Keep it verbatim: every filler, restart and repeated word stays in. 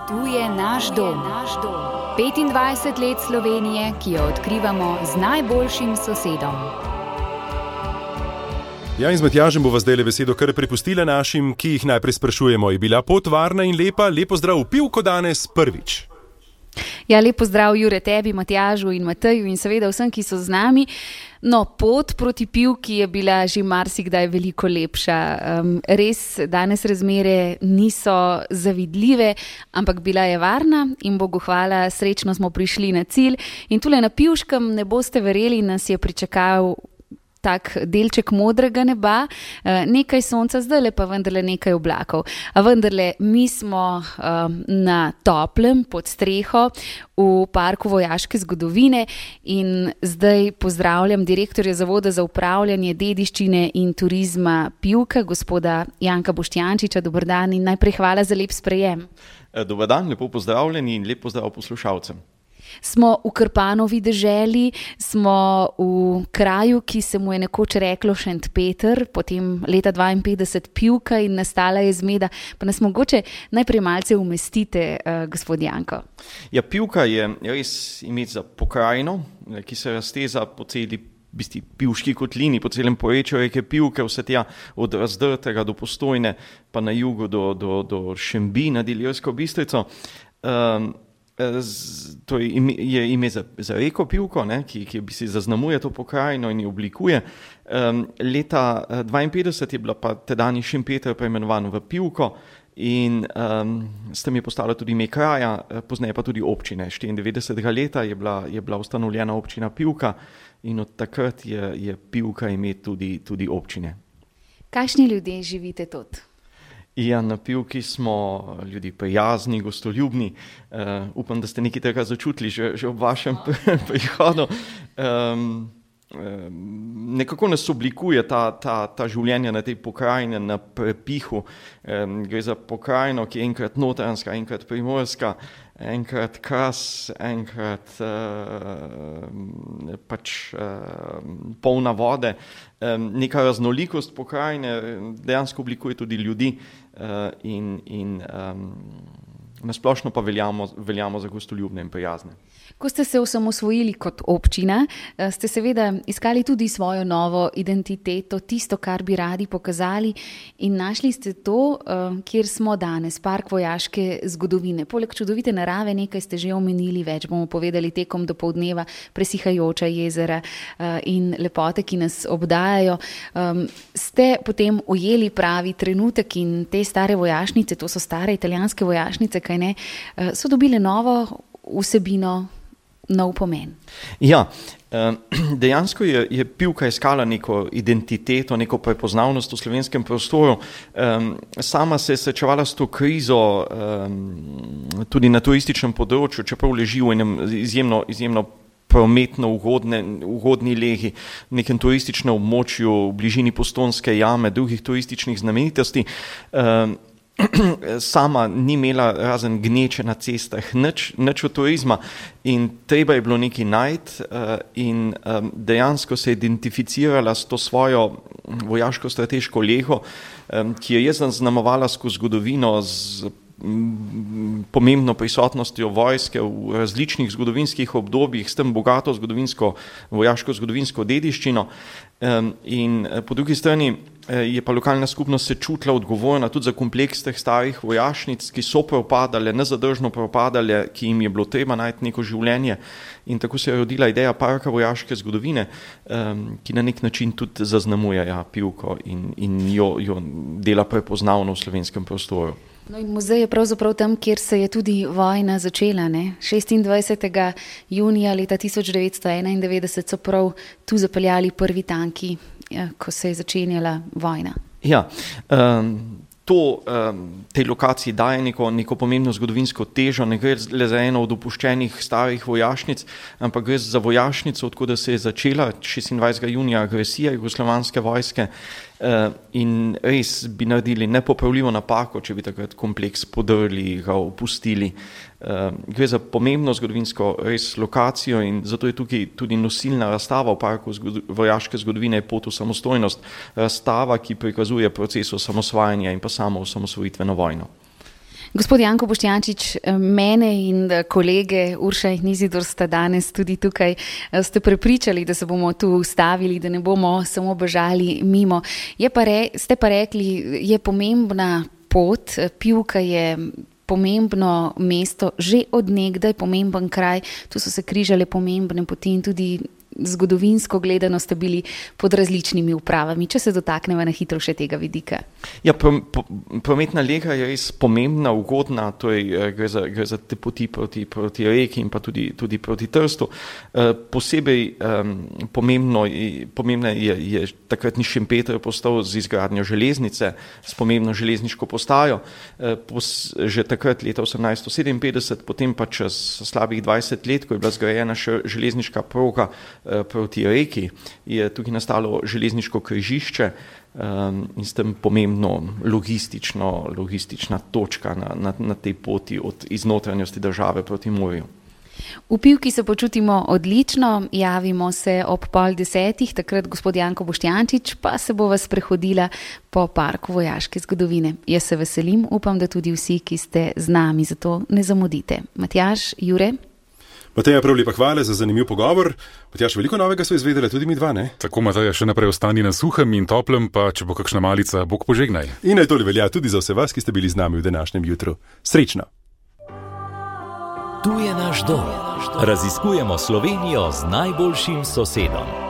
Tu je naš dom. petindvajset let Slovenije, ki jo odkrivamo z najboljšim sosedom. Ja, in z Matjažem bova zdajle besedo kar prepustila našim, ki jih najprej sprašujemo. Je bila pot varna in lepa? Lepo zdrav v Pivko danes prvič. Ja, lepo zdrav Jure tebi, Matjažu in Mateju in seveda vsem, ki so z nami. No, pot proti Pivki je bila že marsikdaj veliko lepša. Um, res danes razmere niso zavidljive, ampak bila je varna in Bogu hvala, srečno smo prišli na cilj. In tule na Pivškem, ne boste verjeli, nas je pričakal tak delček modrega neba, nekaj sonca, zdajle pa vendarle nekaj oblakov. A vendarle, mi smo um, na toplem, pod streho, v parku vojaške zgodovine in zdaj pozdravljam direktorja Zavoda za upravljanje dediščine in turizma Pivka, gospoda Janka Boštjančiča. Dober dan in najprej hvala za lep sprejem. Dober dan, lepo pozdravljeni in lep pozdrav poslušalcem. Smo v Krpanovi deželi, smo v kraju, ki se mu je nekoč reklo Šentpeter, potem leta dvainpetdeset Pivka in nastala je zmeda. Pa nas mogoče najprej malce umestite, uh, gospod Janko. Ja, Pivka je res ime za pokrajino, ki se razteza po celi bisti Pivški kotlini, po celem porečju reke Pivke, vse tja od Razdrtega do Postojne, pa na jugu do, do, do Šembi nad Ilirsko Bistrico. Um, Z, to je ime, je ime za, za reko Pivko, ne, ki, ki bi si zaznamuje to pokrajino in jo oblikuje. Um, leta dvainpetdeset je bila pa tedajni Šempeter preimenovan v Pivko in um, s tem je postala tudi ime kraja, pozneje pa tudi občine. štiriindevetdesetega leta je bila, je bila ustanovljena občina Pivka in od takrat je, je Pivka ime tudi, tudi občine. Kakšni ljudje živite tot? Ja, na Pivki smo ljudi prijazni, gostoljubni. Uh, upam, da ste nekaj tega začutili že, že ob vašem prihodu. Um, um, nekako nas oblikuje ta, ta, ta življenje na tej pokrajini, na prepihu. Um, gre za pokrajino, ki je enkrat notranjska, enkrat primorska, enkrat Kras, enkrat uh, pač uh, polna vode. Um, neka raznolikost pokrajine dejansko oblikuje tudi ljudi. Uh, in, in um, nasplošno pa veljamo, veljamo za gostoljubne in prijazne. Ko ste se osamosvojili kot občina, ste seveda iskali tudi svojo novo identiteto, tisto, kar bi radi pokazali in našli ste to, kjer smo danes, park vojaške zgodovine. Poleg čudovite narave, nekaj ste že omenili, več bomo povedali tekom dopoldneva, presihajoča jezera in lepote, ki nas obdajajo. Ste potem ujeli pravi trenutek in te stare vojašnice, to so stare italijanske vojašnice, kaj ne, so dobile novo vsebino, nov pomen. Ja, dejansko je, je Pivka iskala neko identiteto, neko prepoznavnost v slovenskem prostoru. Sama se je srečevala s to krizo tudi na turističnem področju, čeprav leži v enem izjemno, izjemno prometno ugodne, ugodni legi, v nekem turističnem območju v bližini Postojnske jame, drugih turističnih znamenitosti. Sama ni imela razen gneče na cestah, nič, nič od turizma in treba je bilo nekaj najti uh, in um, dejansko se je identificirala s to svojo vojaško-strateško lego, um, ki je zaznamovala skozi zgodovino z pomembno prisotnostjo vojske v različnih zgodovinskih obdobjih, s tem bogato zgodovinsko, vojaško-zgodovinsko dediščino. Um, in po drugi strani je pa lokalna skupnost se čutila odgovorna tudi za kompleks teh starih vojašnic, ki so propadale, nezadržno propadale, ki jim je bilo treba najti neko življenje. In tako se je rodila ideja parka vojaške zgodovine, um, ki na nek način tudi zaznamuje ja, Pivko in, in jo, jo dela prepoznavno v slovenskem prostoru. No in muzej je pravzaprav tam, kjer se je tudi vojna začela, ne? šestindvajsetega junija leta tisoč devetsto enaindevetdeset so prav tu zapeljali prvi tanki, ja, ko se je začenjala vojna. Ja, um, to um, tej lokaciji daje neko, neko pomembno zgodovinsko težo, ne gre le za eno od opuščenih starih vojašnic, ampak gre za vojašnico, odkud se je začela šestindvajsetega junija agresija jugoslovanske vojske. Uh, in res bi naredili nepopravljivo napako, če bi takrat kompleks podrli, ga opustili. Uh, gre za pomembno zgodovinsko res lokacijo in zato je tukaj tudi nosilna razstava v parku zgod- vojaške zgodovine Pot v samostojnost, razstava, ki prikazuje proces osamosvajanja in pa samo osamosvojitveno vojno. Gospod Janko Boštjančič, mene in kolege Urša in Izidor sta danes tudi tukaj, ste prepričali, da se bomo tu ustavili, da ne bomo samo bežali mimo. Je pa re, ste pa rekli, je pomembna pot, Pivka je pomembno mesto, že od nekdaj pomemben kraj, tu so se križale pomembne poti in tudi zgodovinsko gledano ste bili pod različnimi upravami. Če se dotaknemo na hitro še tega vidika. Ja, prometna lega je res pomembna, ugodna, to je, gre za, gre za te poti proti, proti reki in pa tudi, tudi proti Trstu. E, posebej um, pomembno, pomembno je, je takratni Šempeter postal z izgradnjo železnice, s pomembno železniško postajo. E, pos, že takrat leta osemnajststo sedeminpetdeset, potem pa čez slabih dvajset let, ko je bila zgrajena še železniška proga proti reki, je tukaj nastalo železniško križišče um, in s tem pomembno logistično, logistična točka na, na, na tej poti od iznotranjosti države proti morju. V Pivki se počutimo odlično, javimo se ob pol desetih, takrat gospod Janko Boštjančič, pa se bo vas prehodila po parku vojaške zgodovine. Jaz se veselim, upam, da tudi vsi, ki ste z nami, zato ne zamudite. Matjaž, Jure? Mateja, prav lepa hvala za zanimiv pogovor. Matjaž, veliko novega so izvedeli tudi mi dva, ne? Tako, Mateja, še naprej ostani na suhem in toplem, pa če bo kakšna malica, Bog požegnaj. In naj to velja tudi za vse vas, ki ste bili z nami v današnjem jutru. Srečno! Tu je naš dom. Raziskujemo Slovenijo z najboljšim sosedom.